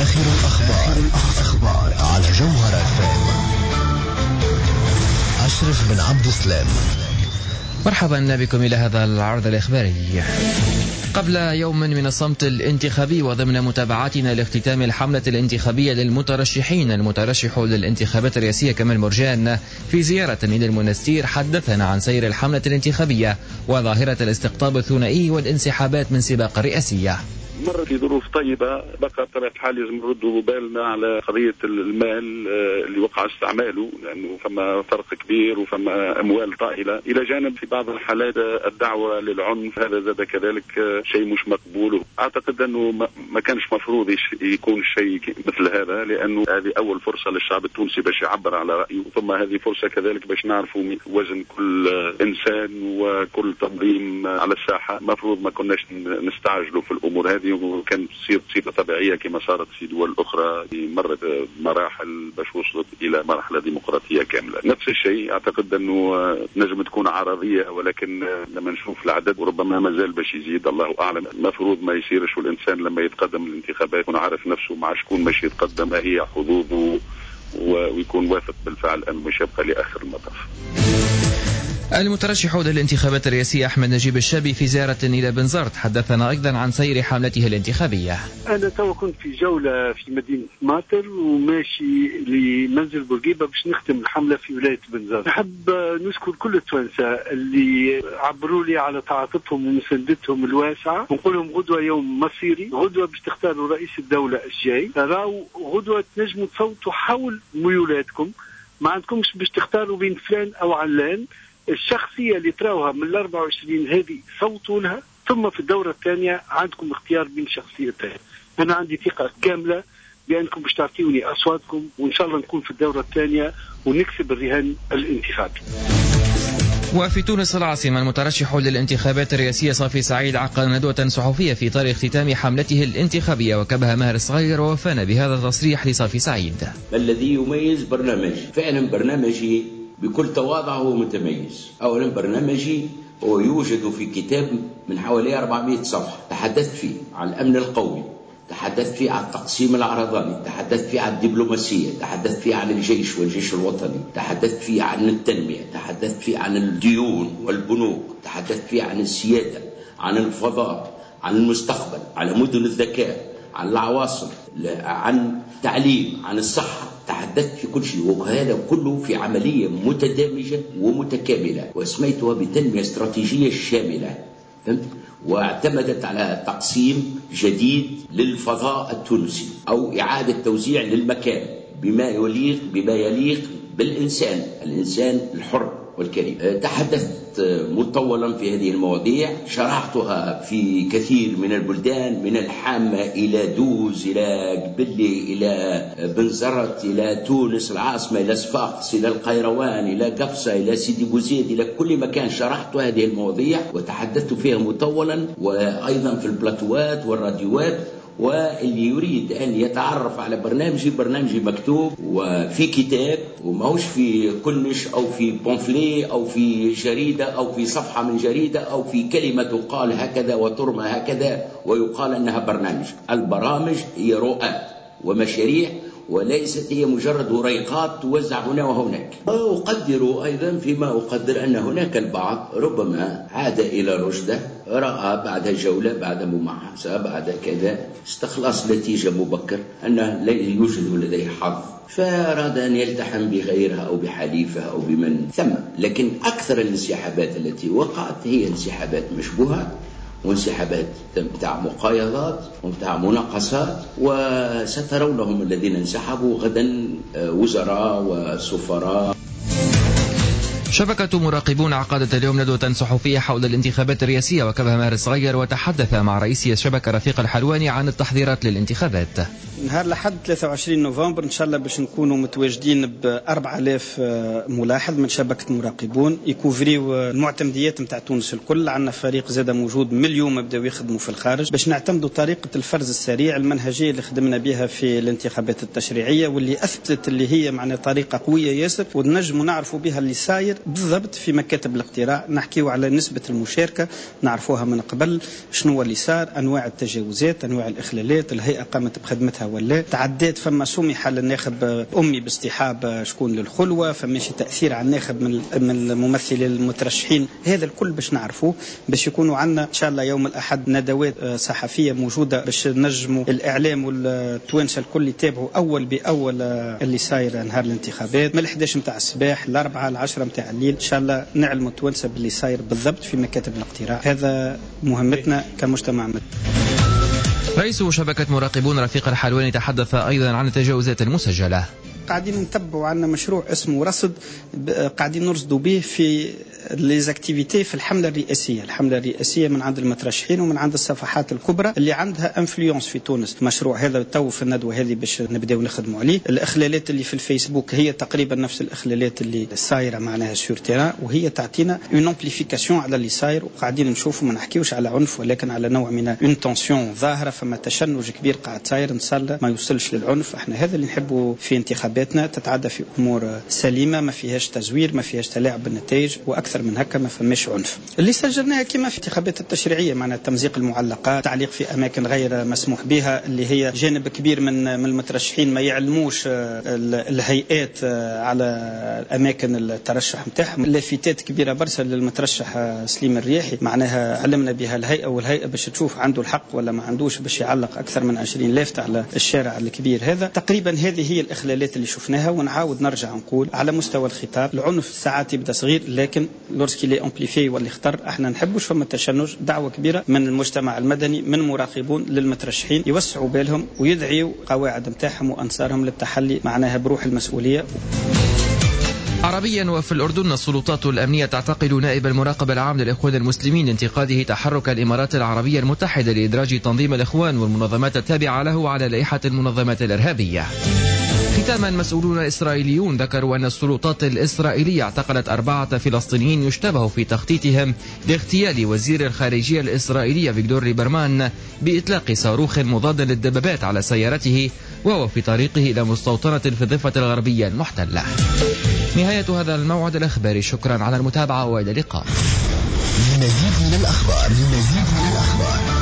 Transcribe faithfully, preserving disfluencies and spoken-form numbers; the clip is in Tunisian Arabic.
آخر الأخبار الأخبار على جوهرة إف إم. أشرف بن عبد السلام. مرحبا بكم إلى هذا العرض الإخباري. قبل يوم من الصمت الانتخابي وضمن متابعتنا لاختتام الحملة الانتخابية للمترشحين، المترشح للانتخابات الرئاسية كمال مرجان في زيارة إلى المنستير حدثنا عن سير الحملة الانتخابية وظاهرة الاستقطاب الثنائي والانسحابات من سباق الرئاسية. مرت في ظروف طيبة، بقى بطبيعة الحال لازم نردوا بالنا على قضية المال اللي وقع استعماله، لأنه فما فرق كبير وفما أموال طائلة، إلى جانب في بعض الحالات الدعوة للعنف، هذا زاد كذلك شيء مش مقبول. أعتقد أنه ما كانش مفروض يكون شيء مثل هذا، لأنه هذه أول فرصة للشعب التونسي باش يعبر على رأيه، ثم هذه فرصة كذلك باش نعرفوا وزن كل إنسان وكل تنظيم على الساحة. مفروض ما كناش نستعجلوا في الأمور هذه، وكان تصير صفة طبيعية كما صارت في دول أخرى مرت مراحل باش وصلت إلى مرحلة ديمقراطية كاملة. نفس الشيء أعتقد أنه نجم تكون عرضية، ولكن لما نشوف العدد وربما ما زال باش يزيد، الله أعلم. المفروض ما يصيرش، والإنسان لما يتقدم الانتخابات يكون عارف نفسه مع شكون باش يتقدم، ما هي حظوظه، ويكون واثق بالفعل أنه مش يبقى لآخر المطاف. المترشح للانتخابات الرئاسية أحمد نجيب الشابي في زيارة إلى بنزرت حدثنا أيضا عن سير حملته الانتخابية. أنا تو كنت في جولة في مدينة ماطر وماشي لمنزل بورقيبة باش نختم الحملة في ولاية بنزرت. نحب نشكر كل التوانسة اللي عبروا لي على تعاطفهم ومساندتهم الواسعة، ونقول لهم غدوة يوم مصيري، غدوة باش تختاروا رئيس الدولة الجاي، راو غدوة تنجموا تصوتوا حول ميولاتكم، ما عندكمش باش تختاروا بين فلان أو علان. الشخصية اللي تراوها من الأربعة وعشرين هذه صوتوا لها، ثم في الدورة الثانية عندكم اختيار بين شخصيتين. أنا عندي ثقة كاملة بأنكم باش تعطيوني أصواتكم، وإن شاء الله نكون في الدورة الثانية ونكسب الرهان الانتخابي. وفي تونس العاصمة المترشح للانتخابات الرئاسية صافي سعيد عقد ندوة صحفية في إطار اختتام حملته الانتخابية، وكبها ماهر الصغير ووفانا بهذا التصريح لصافي سعيد. الذي يميز برنامجي فعلا برنامجي بكل تواضع هو متميز. أولا برنامجي هو يوجد في كتاب من حوالي أربعمائة صفحة، تحدثت فيه عن الأمن القومي، تحدثت فيه عن التقسيم العرضاني، تحدثت فيه عن الدبلوماسية، تحدثت فيه عن الجيش والجيش الوطني، تحدثت فيه عن التنمية، تحدثت فيه عن الديون والبنوك، تحدثت فيه عن السيادة، عن الفضاء، عن المستقبل، على مدن الذكاء، عن العواصم، عن التعليم، عن الصحة، تحدثت في كل شيء، وهذا كله في عملية متدامجة ومتكاملة واسميتها بتنمية استراتيجية شاملة، فهمت؟ واعتمدت على تقسيم جديد للفضاء التونسي أو إعادة توزيع للمكان بما يليق بما يليق بالإنسان، الإنسان الحر والكريم. تحدثت مطولا في هذه المواضيع، شرحتها في كثير من البلدان، من الحامة إلى دوز، إلى قبلي، إلى بنزرت، إلى تونس العاصمة، إلى صفاقس، إلى القيروان، إلى قفصة، إلى سيدي بوزيد، إلى كل مكان شرحت هذه المواضيع وتحدثت فيها مطولا، وأيضا في البلاتوات والراديوات. واللي يريد أن يتعرف على برنامجي، برنامجي مكتوب وفي كتاب، وماهوش في كنش أو في pamphlet أو في جريدة أو في صفحة من جريدة أو في كلمة تقال هكذا وترمى هكذا ويقال أنها برنامج. البرامج هي رؤى ومشاريع، وليست هي مجرد وريقات توزع هنا وهناك. وأقدر أيضا فيما أقدر أن هناك البعض ربما عاد إلى رشده، رأى بعد جولة، بعد مماحسة، بعد كذا، استخلص نتيجة مبكر أنه لا يوجد لديه حظ، فأراد أن يلتحم بغيرها أو بحليفة أو بمن ثم. لكن أكثر الانسحابات التي وقعت هي انسحابات مشبوهة، وانسحابات متاع مقايضات ومتاع مناقصات، وسترونهم الذين انسحبوا غدا وزراء وسفراء. شبكة مراقبون عقدت اليوم ندوة صحفية حول الانتخابات الرئاسية، وكبها ماهر الصغير وتحدث مع رئيس الشبكة رفيق الحلواني عن التحضيرات للانتخابات. نهار لحد ثلاثة وعشرين نوفمبر إن شاء الله باش نكونوا متواجدين ب أربعة آلاف ملاحظ من شبكة مراقبون يكوفريو المعتمديات نتاع تونس الكل. عندنا فريق زاد موجود من اليوم بداو يخدموا في الخارج باش نعتمدوا طريقة الفرز السريع المنهجية اللي خدمنا بها في الانتخابات التشريعية، واللي أثبتت اللي هي معنا طريقة قوية ياسر ونجموا نعرفوا بها اللي صاير بالضبط في مكاتب الاقتراع، نحكيو على نسبة المشاركة نعرفوها من قبل، شنو اللي صار، أنواع التجاوزات، أنواع الإخلالات، الهيئة قامت بخدمتها ولا تعدات، فما سمح للناخب أمي باصطحاب شكون للخلوة، فماشي تأثير على الناخب من من الممثلين المترشحين. هذا الكل باش نعرفوه، باش يكونوا عندنا إن شاء الله يوم الأحد ندوات صحفية موجودة باش نجموا الإعلام والتوانسة الكل يتابعوا أول بأول اللي صاير نهار الانتخابات من الحداش نتاع الصباح الأربعة العشرة نتاع الليل. إن شاء الله نعلموا التوانسة باللي صاير بالضبط في مكاتب الاقتراع. هذا مهمتنا كمجتمع مدني. رئيس شبكة مراقبون رفيق الحلواني تحدث أيضا عن التجاوزات المسجلة. قاعدين نتبعوا عندنا مشروع اسمه رصد، قاعدين نرصدوا به في les activités في الحملة الرئاسية، الحملة الرئاسية من عند المترشحين ومن عند الصفحات الكبرى اللي عندها influence في تونس. المشروع هذا تو في الندوة هذه باش نبداو نخدموا عليه. الاخلالات اللي في الفيسبوك هي تقريبا نفس الاخلالات اللي صايرة معناها sur terrain، وهي تعطينا une amplification على اللي صاير، وقاعدين نشوفوا ما نحكيوش على عنف ولكن على نوع من une tension ظاهره، فما تشنج كبير قاعد صاير، ان شاء الله ما يوصلش للعنف. احنا هذا اللي نحبوا في انتخاباتنا، تتعدى في امور سليمة، ما فيهاش تزوير، ما فيهاش تلاعب بالنتائج، واكثر من هكا ما فماش عنف. اللي سجلناها كما في الانتخابات التشريعية، معناها تمزيق المعلقات، تعليق في اماكن غير مسموح بها، اللي هي جانب كبير من من المترشحين ما يعلموش الهيئات على اماكن الترشح نتاعهم. لافتات كبيرة برشا للمترشح سليم الرياحي، معناها علمنا بها الهيئة، والهيئة باش تشوف عنده الحق ولا ما عندوش باش يعلق اكثر من عشرين لافته على الشارع الكبير هذا. تقريبا هذه هي الاخلالات اللي شفناها. ونعاود نرجع نقول على مستوى الخطاب، العنف ساعات يبدا صغير، لكن lorsqu'il est amplifié واللي خطر. احنا نحبوش فما تشنج. دعوه كبيرة من المجتمع المدني، من مراقبون للمترشحين، يوسعوا بالهم ويدعيوا قواعد نتاعهم وانصارهم للتحلي معناها بروح المسؤولية. عربيا وفي الأردن، السلطات الأمنية تعتقل نائب المراقب العام للإخوان المسلمين لانتقاده تحرك الإمارات العربية المتحدة لإدراج تنظيم الإخوان والمنظمات التابعة له على لائحة المنظمات الإرهابية. ختاما، مسؤولون إسرائيليون ذكروا أن السلطات الإسرائيلية اعتقلت أربعة فلسطينيين يشتبه في تخطيطهم لاغتيال وزير الخارجية الإسرائيلية فيكتور ليبرمان بإطلاق صاروخ مضاد للدبابات على سيارته وهو في طريقه إلى مستوطنة في الضفة الغربية المحتلة. نهاية هذا الموعد الإخباري، شكرا على المتابعة وإلى اللقاء. للمزيد من الأخبار للمزيد من الأخبار